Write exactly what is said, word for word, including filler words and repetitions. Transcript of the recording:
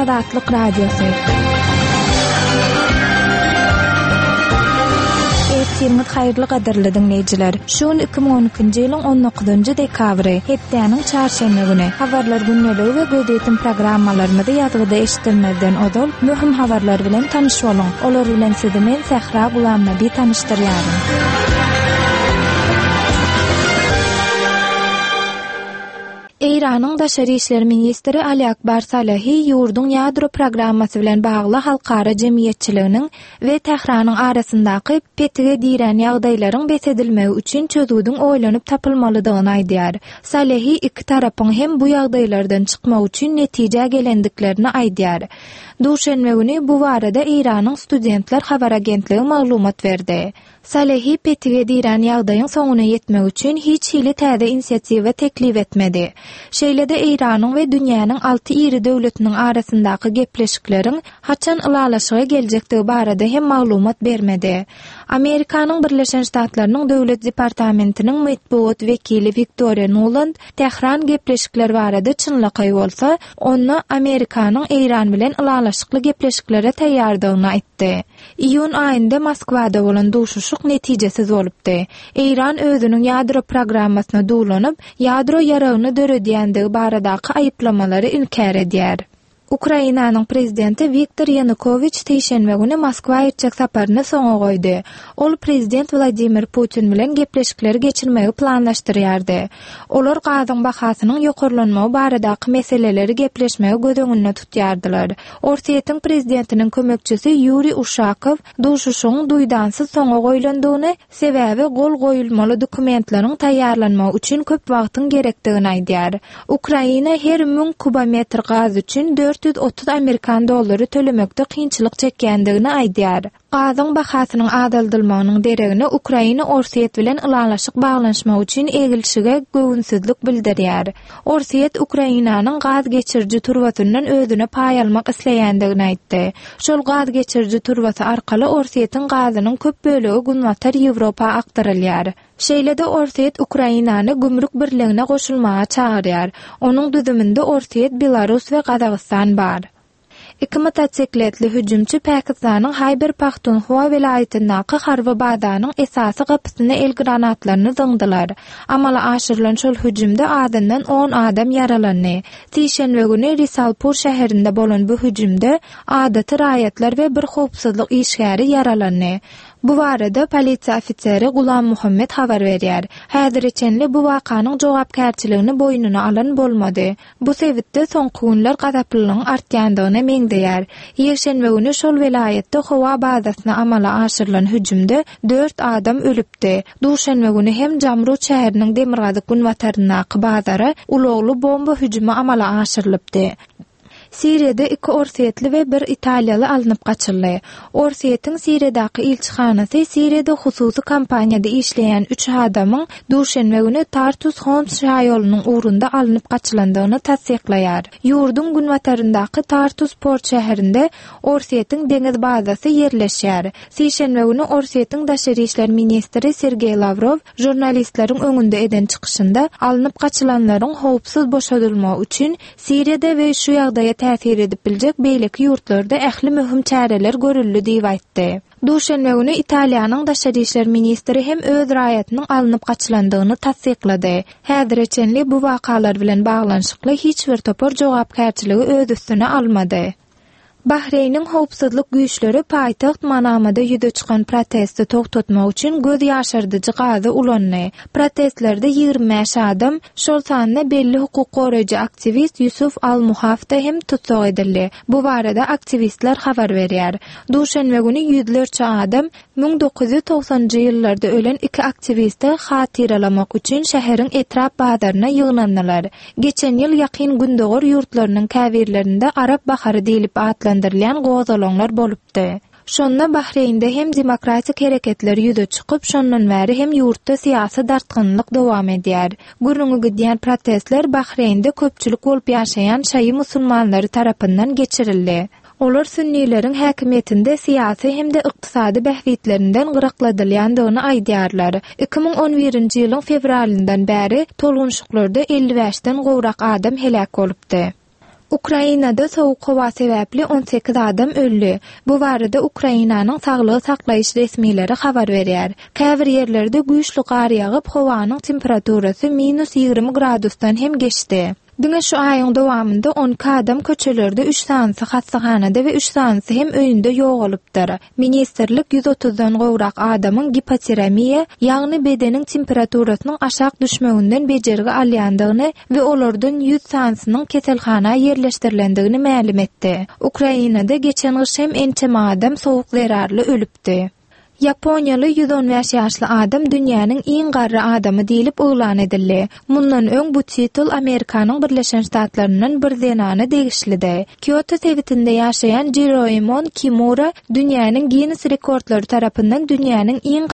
Azatlyk Radiosy. Ertiriňiz haýyrly gadyrly diňleýjiler. Şu gün iki müň on ikinji ýylyň on dokuzynjy dekabry, hepdäniň çarşenbe güni. Habarlar gündeligi we gözýetim programmalarymyzy ýazgyda eşitdirmezden ozal möhüm habarlar bilen tanyş boluň. Olar bilen sizi men Sähra Gulamnabi tanyşdyrýaryn. Eýranyň daşary işler ministri Ali Akbar Salehi ýurduň ýadro programmasy bilen bagly halkara jemgyýetçiliginiň we Tähranyň arasyndaky petige dirän ýagdaýlaryň bes edilmegi üçin çözgüdiň oýlanyp tapylmalydygyny aýdýar. Salehi iki tarapyň hem bu ýagdaýlardan çykmak üçin netijä gelendiklerini aýdýar. Duşenbe güni bu barada Eýranyň studentler habar agentligi maglumat berdi. Salehi petige dirän ýagdaýyň soňuna ýetmek üçin hiç hili täze inisiatiwa teklip etmedi. Şeýle-de Eýranyň we dünýäniň alty iri döwletiniň arasyndaky gepleşikleriň haçan ylalaşyga geljekdigi barada hem maglumat bermedi. Amerikanyň Birleşen Ştatlarynyň Döwlet Departamentiniň metbugat wekili Wiktoriýa Nuland Tähran gepleşikler barada çynlakaý bolsa, onda Amerikanyň Eýran bilen ylalaşykly gepleşiklere taýýardygyny aýtdy. Iýun aýynda Moskwada bolan duşuşyk netijesiz bolupdy. Eýran özüniň ýadro programmasyna duwlanyp, ýadro ýaragyny döredýändigi baradaky aýyplamalary inkär edýär. Ukrainanyň prezidenti Wiktor Ýanukowiç sişenbe güni Moskwa etjek saparyny soňa goýdy. Ol prezident Wladimir Putin bilen gepleşikleri geçirmegi planlaşdyrýardy. Olar gazyň bahasynyň ýokarlanmagy baradaky meseleleri gepleşmegi göz öňünde tutýardylar. Orsýetiň prezidentiniň kömekçisi Ýuriý Uşakow duşuşygyň duýdansyz soňa goýlandygyny, sebäbi gol goýulmaly dokumentleriň taýýarlanmagy üçin köp wagtyň gerekdigini aýdýar. Ukraina her müň kubometr gaz üçin dört ýüz otuz amerikan dollary tölemekde kynçylyk çekýändigini aýdýar. Gazyň bahasynyň azaldylmagynyň deregine Ukraina Orsýet bilen ylalaşyk baglanyşmak üçin egilşige göwünsizlik bildirýär. Orsýet Ukrainanyň gaz geçiriji turbasyndan özüne paý almak isleýändigini aýtdy. Şol gaz geçiriji turbasy arkaly Orsýetiň gazynyň köp bölegi Günbatar Ýewropa akdyrylýar. Şeýle-de Orsýet Ukrainany gümrük birligine goşulmaga çagyrýar. Onuň düzüminde Orsýet, Belarus we Gazagystan bar. Iki motosikletli hüjümçi Pakistanyň Haýber Pahtunhua welaýatyndaky harby bazanyň esasy gapysyna el granatlaryny zyňdylar. Amala aşyrylan şol hüjümde azyndan on adam ýaralandy. Sişenbe güni Risalpur şäherinde bolan bu hüjümde adaty raýatlar we bir howpsuzlyk işgäri ýaralandy. Bu barada polisiýa ofiseri Gulam Muhammed habar berýär. Häzire çenli bu wakanyň jogapkärçiligini boýnuna alan bolmady. Bu sebitde soňky günler gazaplylygyň artýandygyna meňzeýär. Ýekşenbe güni şol welaýatda howa bazasyna amala aşyrylan hüjümde dört adam ölüpdi. Duşenbe güni hem Jamrud şäheriniň demirgazyk günbataryndaky bazara ulagly bomba hüjümi amala aşyrylypdy. Siriýada iki orsýetli we bir italiýaly alnyp gaçyldy. Orsýetiň Siriýadaky ilçihanasy Siriýada hususy kompaniýada işleýän üç adamyň duşenbe güni Tartus Homs şaýolunyň ugrunda alnyp gaçylandygyny tassyklaýar. Ýurduň günbataryndaky Tartus port şäherinde Orsýetiň deňiz bazasy ýerleşýär. Sişenbe güni Orsýetiň daşary işler ministri Sergeý Lawrow žurnalistleriň öňünde eden çykyşynda alnyp gaçylanlaryň howpsuz boşadylmagy üçin Siriýada we şu ýagdaýa täsir edip biljek beýleki ýurtlarda ähli möhüm çäreler görüldi diýip aýtdy. Duşenbe güni Italiýanyň daşary işler ministri hem öz raýatynyň alnyp gaçylandygyny tassyklady. Häzire çenli bu wakalar bilen baglanyşykly hiç bir topar jogapkärçiligi öz üstüne almady. Bahreýniň howpsuzlyk güýçleri paýtagt Manamada ýüze çykan protesti togtatmak üçin göz ýaşardyjy gazy ulandy. Protestlerde ýigrimi bäş adam, şol sanda belli hukuk goraýjy aktiwist Ýusuf Al-Muhafda hem tussag edildi. Bu barada aktiwistler habar berýär. Duşenbe güni ýüzlerçe adam müň dokuz ýüz togsanjy ýyllarda ölen iki aktiwisti hatyralamak üçin şäheriň etrap bazaryna ýygnandylar. Geçen ýyl ýakyn gündogar ýurtlarynyň käbirlerinde Arap bahary diýlip atlandyrylýan gozgalaňlar bolupdy. Şonda Bahreýnde hem demokratik hereketler ýüze çykyp, şondan bäri hem ýurtda syýasy dartgynlyk dowam edýär. Gürrüňi gidýän protestler Bahreýnde köpçülik bolup ýaşaýan şaýy musulmanlary tarapyndan geçirildi. Olar sünnileriň häkimiýetinde syýasy hem-de ykdysady bähbitlerinden gyrakladylýandygyny aýdýarlar. iki müň on birinji ýylyň fewralyndan bäri tolgunşyklarda elli bäşden gowrak adam heläk bolupdy. Ukrainada sowuk howa sebäpli on sekiz adam öldi. Bu barada Ukrainanyň saglygy saklaýyş resmileri habar berýär. Käbir ýerlerde güýçli gar ýagyp, howanyň temperaturasy minus ýigrimi gradusdan hem geçdi. Diňe şu aýyň dowamynda on iki adam köçelerde, üç sanysy hassahanada we üç sanysy hem öýünde ýogalypdyr. Ministrlik ýüz otuzdan gowrak adamyň gipotermiýa, ýagny bedeniň temperaturasynyň aşak düşmeginden bejergi alýandygyny we olardan ýüz sanysynyň keselhana ýerleşdirilendigini mälim etdi. Ukrainada geçen gyş hem ençeme adam sowuk zerarly ölüpdi. Ýaponiýaly ýüz on bäş ýaşly adam dünýäniň iň garry adamy diýlip yglan edildi. Mundan öň bu titul Amerikanyň Birleşen Ştatlaryndan bir zenana degişlidi. Kýoto sebitinde ýaşaýan Jiroemon Kimura dünýäniň Ginnes rekordlary tarapyndan dünýäniň iň